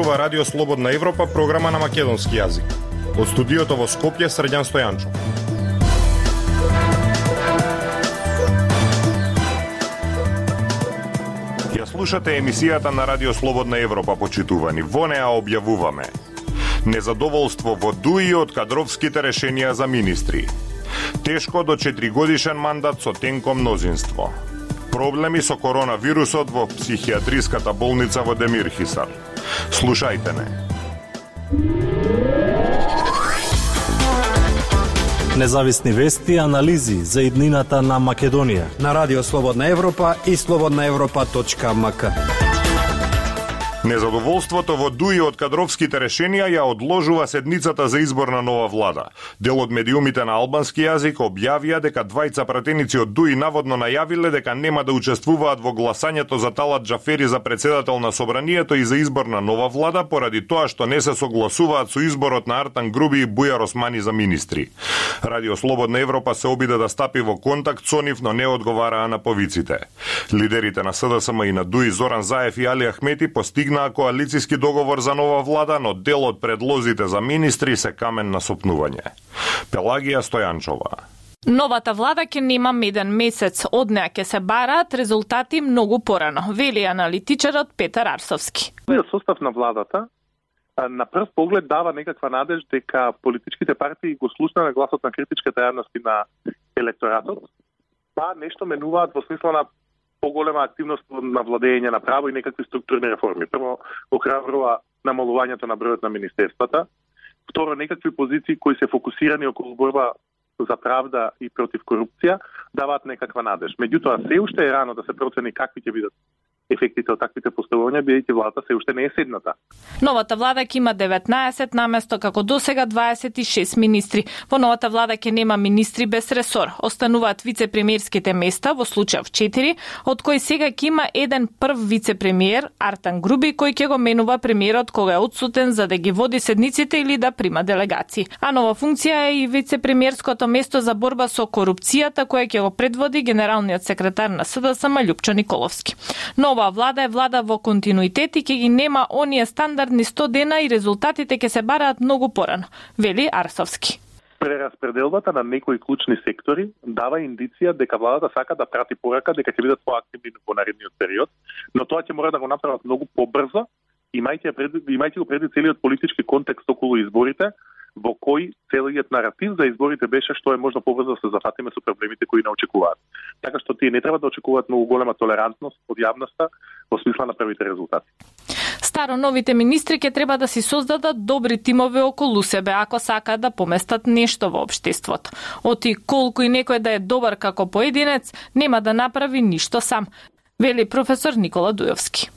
зборува Радио Слободна Европа, програма на македонски јазик. Од студиото во Скопје, Срđan Стојанчов. Ја слушате емисијата на Радио Слободна Европа, почитувани. Во неа објавуваме незадоволство во ДУИ од кадровските решенија за министри. Тешко до 4-годишен мандат со тенко мнозинство. Проблеми со коронавирусот во психијатриската болница во Демирхисар. Слушајте не. Независни вести и анализи за иднината на Македонија на Радио Слободна Европа и slobodnaevropa.mk. Незадоволството во ДУИ од кадровските решенија ја одложува седницата за избор на нова влада. Дел од медиумите на албански јазик објавија дека двајца пратеници од ДУИ наводно најавиле дека нема да учествуваат во гласањето за Талат Џафери за председател на собранието и за избор на нова влада поради тоа што не се согласуваат со изборот на Артан Груби и Бујар Османи за министри. Радио Слободна Европа се обиде да стапи во контакт со нив, но не одговараа на повиците. Лидерите на СДСМ и на ДУИ Зоран Заев и Али Ахмети постигнаа коалициски договор за нова влада, но дел од предлозите за министри се камен на сопнување. Пелагија Стојанчова. Новата влада ќе нема меден месец, од неа ќе се бараат резултати многу порано, вели аналитичарот Петар Арсовски. Состав на владата на прв поглед дава некаква надеж дека политичките партии го слушнаа гласот на критичката јавност и на електоратот, па нешто менуваат во смисла на поголема активност на владење на право и некакви структурни реформи. Прво, охрабрува намалувањето на бројот на министерствата. Второ, некакви позиции кои се фокусирани околу борба за правда и против корупција даваат некаква надеж. Меѓутоа, се уште е рано да се процени какви ќе бидат ефектите од таквите поставувања, бидејќи владата се уште не е седната. Новата влада ќе има 19 наместо како досега 26 министри. Во новата влада ќе нема министри без ресор. Остануваат вице-премиерските места, во случај 4, од кои сега ќе има еден прв вице-премиер, Артан Груби, кој ќе го менува премиерот кога е отсутен за да ги води седниците или да прима делегации. А нова функција е и вице-премиерското место за борба со корупцијата, која ќе го предводи генералниот секретар на СДСМ Љупчо Николовски. Нова влада е влада во континуитет и ќе ги нема оние стандардни 100 дена и резултатите ќе се бараат многу порано, вели Арсовски. Прераспределбата на некои клучни сектори дава индиција дека владата сака да прати порака дека ќе бидат поактивни во наредниот период, но тоа ќе мора да го направат многу побрзо, имајќи го преди целиот политички контекст околу изборите, во кој целиот наратив за изборите беше што е можно побрзо да се зафатиме со проблемите кои не очекуваат. Така што тие не треба да очекуваат многу голема толерантност од јавноста во смисла на првите резултати. Старо новите министри ќе треба да си создадат добри тимови околу себе ако сакаат да поместат нешто во општеството. Оти колку и некој да е добар како поединец, нема да направи ништо сам, вели професор Никола Дујовски.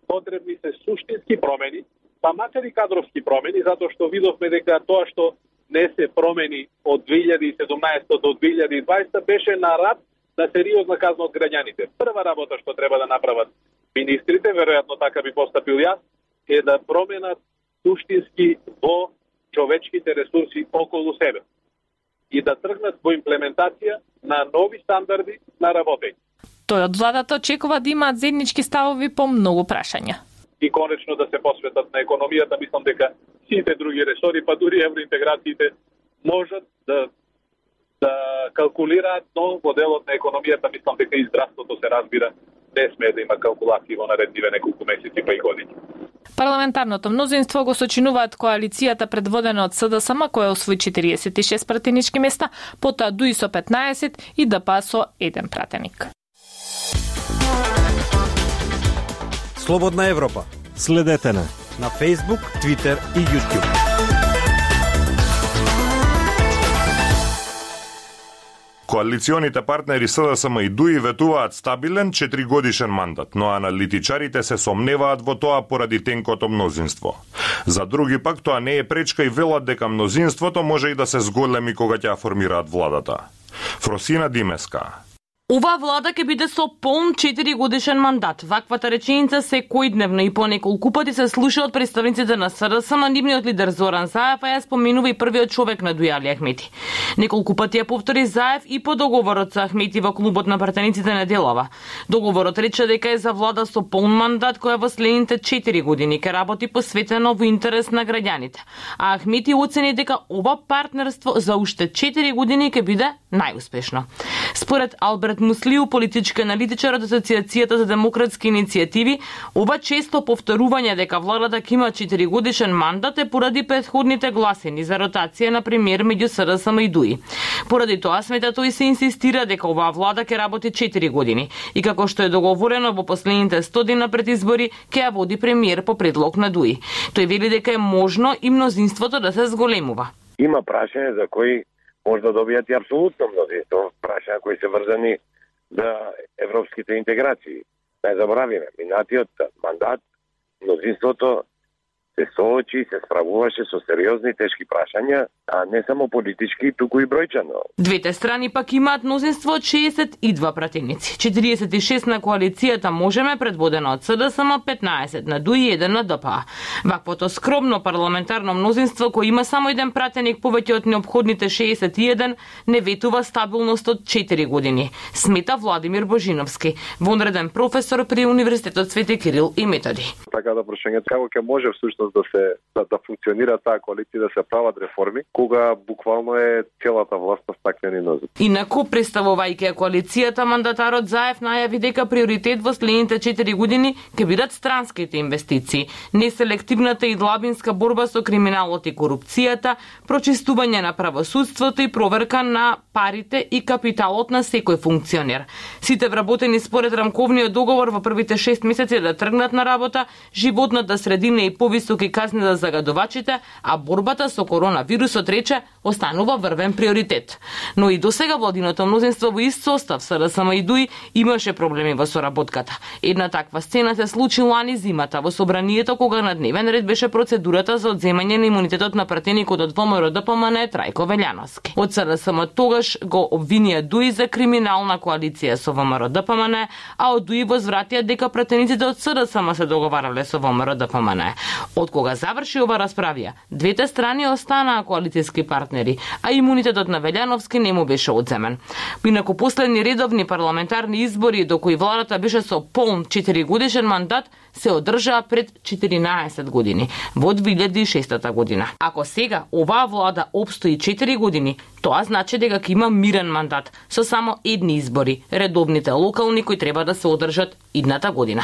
Потребни се суштински промени, па макар и кадровски промени, затоа што видовме дека тоа што не се промени од 2017 до 2020 беше на рад на сериозна казна од граѓаните. Прва работа што треба да направат министрите, веројатно така би постапил јас, е да променат суштински во човечките ресурси околу себе и да тргнат во имплементација на нови стандарди на работење. Тој од владата очекува да имаат заеднички ставови по многу прашања. И конечно да се посветат на економијата, мислам дека сите други ресори, па дури евроинтеграциите, можат да калкулираат, но во делот на економијата, мислам дека и здравството се разбира, не смее да има калкулации во наредниве неколку месеци па и години. Парламентарното мнозинство го сочинуваат коалицијата предводена од СДСМ, која освои 46 пратенички места, потоа ДУИ со 15 и ДПА со 1 пратеник. Слободна Европа. Следете на Facebook, Twitter и YouTube. Коалиционите партнери СДСМ и ДУИ ветуваат стабилен 4-годишен мандат, но аналитичарите се сомневаат во тоа поради тенкото мнозинство. За други пак тоа не е пречка и велат дека мнозинството може и да се зголеми кога ќе ја формираат владата. Фросина Димеска. Ова влада ќе биде со полн 4 годишен мандат. Ваквата реченица секојдневно и по неколку пати се слуша од представниците на СДСМ, на нивниот лидер Зоран Заев, а ја споменува и првиот човек на Дујали Ахмети. Неколку пати ја повтори Заев и по договорот со Ахмети во клубот на пратениците Неделова. Договорот рече дека е за влада со полн мандат која во следните 4 години ќе работи посветено во интерес на граѓаните. А Ахмети оцени дека ова партнерство за уште 4 години ќе биде најуспешно. Според Алберт Муслиу, политички аналитичар од Асоциацијата за демократски иницијативи, ова често повторување дека владата ќе има 4 годишен мандат е поради претходните гласини за ротација на премиер меѓу СДСМ и ДУИ. Поради тоа смета тој се инсистира дека оваа влада ќе работи 4 години и како што е договорено во последните 100 дена пред избори ќе ја води премиер по предлог на ДУИ. Тој вели дека е можно и мнозинството да се зголемува. Има прашања за кои може да добијат и апсолутно мнозинство, прашања кои се врзани за европските интеграции. Не заборавиме, минатиот мандат мнозинството се соочи, се справуваше со сериозни тешки прашања, а не само политички, туку и бројчано. Двете страни пак имаат мнозинство од 62 пратеници. 46 на коалицијата Можеме, предводена од СДСМ, 15 на ДУИ и 1 на ДПА. Ваквото скромно парламентарно мнозинство, кој има само еден пратеник повеќе од необходните 61, не ветува стабилност од 4 години, смета Владимир Божиновски, вонреден професор при Универзитетот Свети Кирил и Методи. Така да прашањето како ќе може всушност да функционира таа коалиција, да се прават реформи, кога буквално е целата власт на стаклени нозе. Инаку, представувајќи коалицијата, мандатарот Заев најави дека приоритет во следните 4 години ќе бидат странските инвестиции, неселективната и длабинска борба со криминалот и корупцијата, прочистување на правосудството и проверка на парите и капиталот на секој функционер. Сите вработени според рамковниот договор во првите 6 месеци да тргнат на работа, животната средина и повисоки казни за загадувачите, а борбата со коронавирусот, рече, останува врвен приоритет. Но и досега владиното мнозинство во ист состав СДСМ и ДУИ имаше проблеми во соработката. Една таква сцена се случи лани зимата во собранието, кога на дневен ред беше процедурата за одземање на имунитетот на пратеникот од ВМРО-ДПМН Трајко Велјановски. Од СДСМ тогаш го обвинија ДУИ за криминална коалиција со ВМРО-ДПМН, а од ДУИ возвратија дека пратениците од СДСМ се договарале со ВМРО-ДПМН. Од кога заврши ова расправија, двете страни останаа коалицијски партнери, а имунитетот на Велјановски не му беше одземен. Инаку последни редовни парламентарни избори, до кои владата беше со полн 4 годишен мандат, се одржаа пред 14 години, во 2006 година. Ако сега оваа влада обстои 4 години, тоа значи дека ќе има мирен мандат, со само едни избори, редовните локални кои треба да се одржат идната година.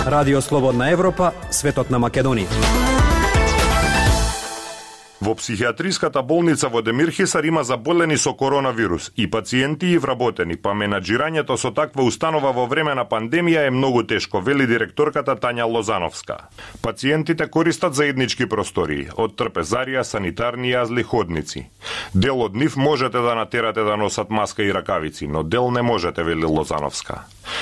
Радио Слободна Европа, светот на Македонија. Во психијатриската болница во Демирхисар има заболени со коронавирус и пациенти и вработени, па менаџирањето со таква установа во време на пандемија е многу тешко, вели директорката Тања Лозановска. Пациентите користат заеднички простории, од трпезарија, санитарни јазли, ходници. Дел од нив можете да натерате да носат маска и ракавици, но дел не можете, вели Лозановска.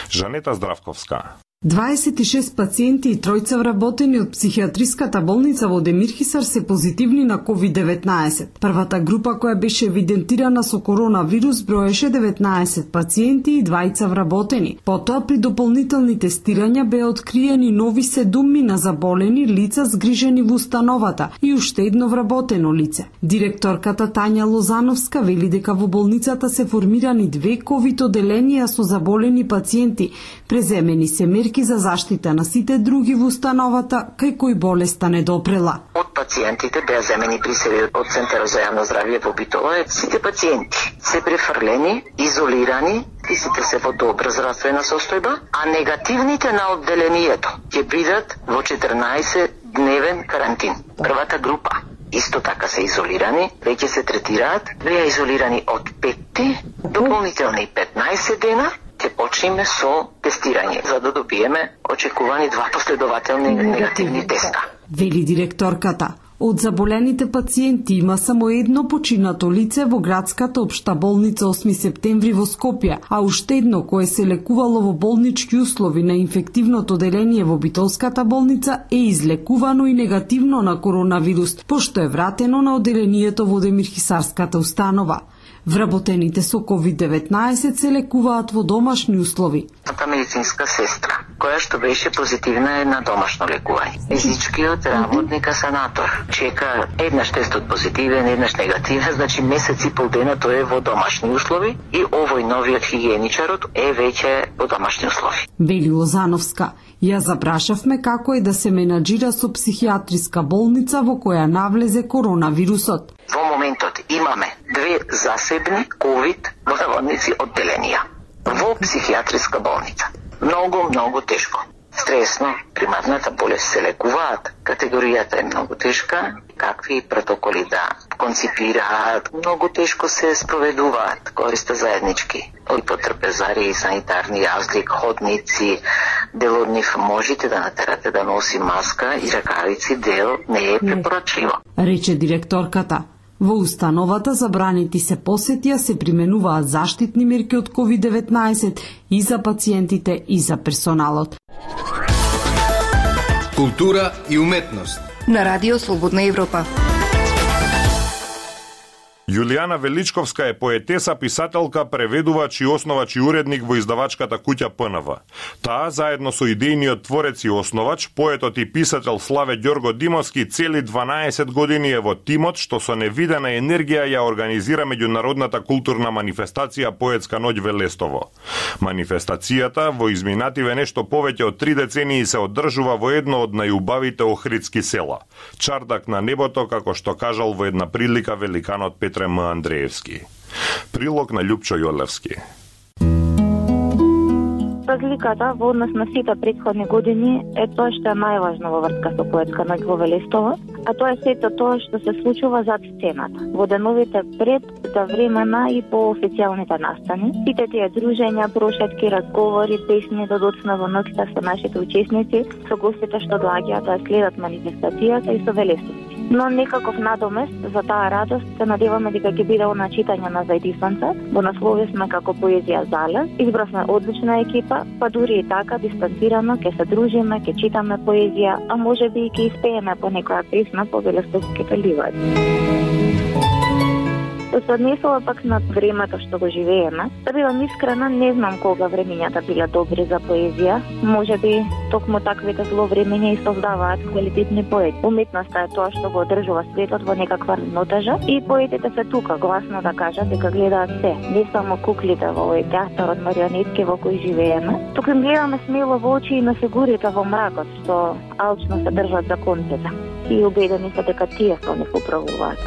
Жанета Здравковска. 26 пациенти и тројца вработени од психијатриската болница во Демирхисар се позитивни на COVID-19. Првата група која беше евидентирана со коронавирус броеше 19 пациенти и 2 вработени. Потоа при дополнителни тестирања беа откриени нови 7 на заболени лица згрижени во установата и уште едно вработено лице. Директорката Тања Лозановска вели дека во болницата се формирани 2 ковид оделенија со заболени пациенти, преземени се мерки за заштита на сите други во установата кај кои болеста не допрела. Од пациентите беа земени присеби од Центарот за јавно здравје во Битола. Сите пациенти се префрлени, изолирани, и сите се во добра здравствена состојба, а негативните на одделението ќе бидат во 14-дневен карантин. Првата група исто така се изолирани, веќе се третираат, беа изолирани од 5 дополнителни 15 дена. Ќе почнеме со тестирање, за да добиеме очекувани 2 последователни негативни теста. Вели директорката. Од заболените пациенти има само едно починато лице во градската општа болница 8 септември во Скопје, а уште едно кое се лекувало во болнички услови на инфективното оделение во Битолската болница е излекувано и негативно на коронавирус, пошто е вратено на оделението во Демирхисарската установа. Вработените со COVID-19 се лекуваат во домашни услови. Та медицинска сестра, која што беше позитивна на домашно лекување. Физичкиот работник санатор чека еднаш тестот позитивен, еднаш негативен, значи месец и пол дена тој е во домашни услови и овој новиот хигиеничарот е веќе во домашни услови. Вели Лозановска, ја запрашавме како е да се менаџира со психијатриска болница во која навлезе коронавирусот. Во моментот имаме 2 засебни ковид одделенија во психијатриска болница. Многу тешко. Стресно, примарната болест се лекуваат, категоријата е многу тешка, какви протоколи да конципираат, многу тешко се спроведуваат, користат заеднички. И потрпезари и санитарни јазлик, ходници, дел од нив можете да натерате да носи маска и ракавици, дел не е препорачливо. Рече директорката. Во установата забранети се посетија, се применуваат заштитни мерки од COVID-19 и за пациентите и за персоналот. Култура и уметност на Радио Слободна Европа. Јулијана Величковска е поетеса, писателка, преведувач и основач и уредник во издавачката куќа ПНВ. Таа, заедно со идејниот творец и основач, поетот и писател Славе Ѓорго Димовски, цели 12 години е во тимот што со невидена енергија ја организира меѓународната културна манифестација Поетска ноќ Велестово. Манифестацијата во изминативе нешто повеќе од 3 децении се одржува во едно од најубавите охридски села. Чардак на небото, како што кажал во една прилика великанот Петр М. Андреевски. Прилог на Љупчо Јолевски. Разликата во однос на сите претходни години е тоа што е најважно во врска со Поетска ноќ во Велестово, а тоа е сето тоа што се случува зад сцената, во деновите пред, за времена и по официјалните настани. Сите тие дружења, прошетки, разговори, песни до доцна во ноќта со нашите учесници, со гостите што доаѓаат да следат манифестацијата и со велестовци. Но некаков надомест за таа радост се надеваме дека ќе биде она читање на заедисванца, во наслови сме како поезија залез, избравме одлична екипа, па дури и така дистанцирано ќе се дружиме, ќе читаме поезија, а можеби и ќе испееме по некоја песна по велестовските ливади. Се однесува пак на времето што го живееме. Да бидам искрена, не знам кога времењата биле добри за поезија. Можеби токму таквите зловремења и создаваат квалитетни поети. Уметноста е тоа што го одржува светот во некаква равнотежа и поетите се тука гласно да кажат дека гледаат се, не само куклите во овој театар од марионетки во кој живееме, туку им гледаме смело во очи и на фигурите во мракот што алчно се држат за конците. И убедени се дека тие се не поправуваат.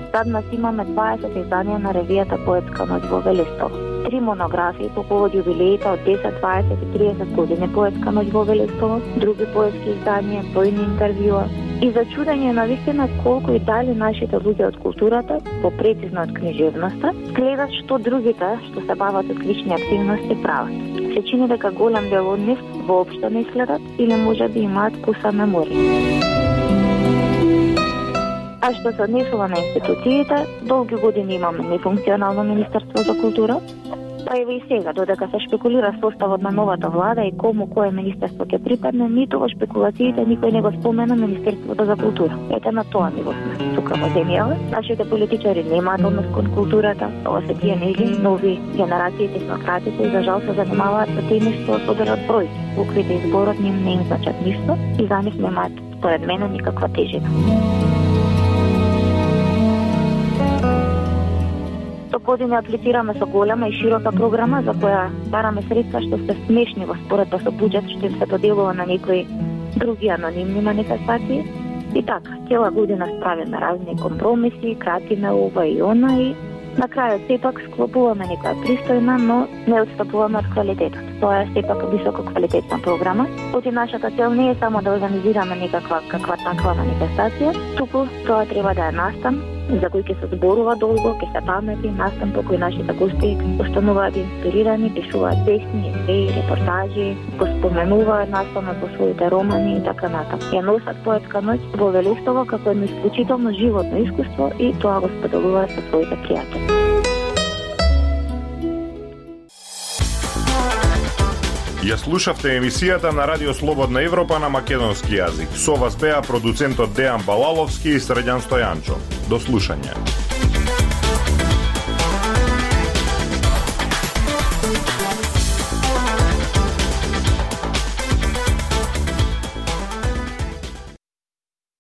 Сад имаме 20 изданија на ревијата Поетска ноќ во Велестово. 3 монографии по повод јубилеите од 10, 20 и 30 години Поетска ноќ во Велестово, други поетски изданија, бројни интервјуа. И за чудење на вистина колку и дали нашите луѓе од културата, попрецизно од книжевноста, гледат што другите што се бават од клучни активности прават. Се чини дека голем дел од нив воопшто не следат или можеби имаат куса меморија. А што се однесува на институциите, долги години имаме нефункционално Министерство за култура, па еве и сега, додека се шпекулира составот на новата влада и кому кое министерство ќе припадне, ниту во шпекулациите никој не го спомена Министерството за култура. Ете на тоа ниво сме тука во земјава. Нашите политичари немаат однос кон културата, ова се тие нели нови генерации технократите и за жал се занимаваат со теми што соберат бројки. Буквите и зборот ним не им значат ништо и за нив немаат, според мене, никаква тежина. Години аплицираме со голема и широка програма за која бараме средства што се смешни во споредба со буџет што им се доделува на некои други анонимни манифестации. И така, цела година справиме разни компромиси, кратиме ова и она и на крајот сепак склопуваме некоја пристојна, но не отстапуваме од квалитетот. Тоа е сепак високо квалитетна програма. Оти нашата цел не е само да организираме некаква таква манифестација, туку тоа треба да е настан за кој ќе се зборува долго, ќе се памети, настан по кој нашите гости остануваат инспирирани, пишуваат песни, есеи, репортажи, го споменуваат настанот во своите романи и така натаму. Ја носат Поетска ноќ во Велестово како едно исклучително животно искуство и тоа го споделуваат со своите пријатели. Ја слушавте емисијата на Радио Слободна Европа на македонски јазик. Со вас беа продуцентот Дејан Балаловски и Средјан Стојанчо. До слушање.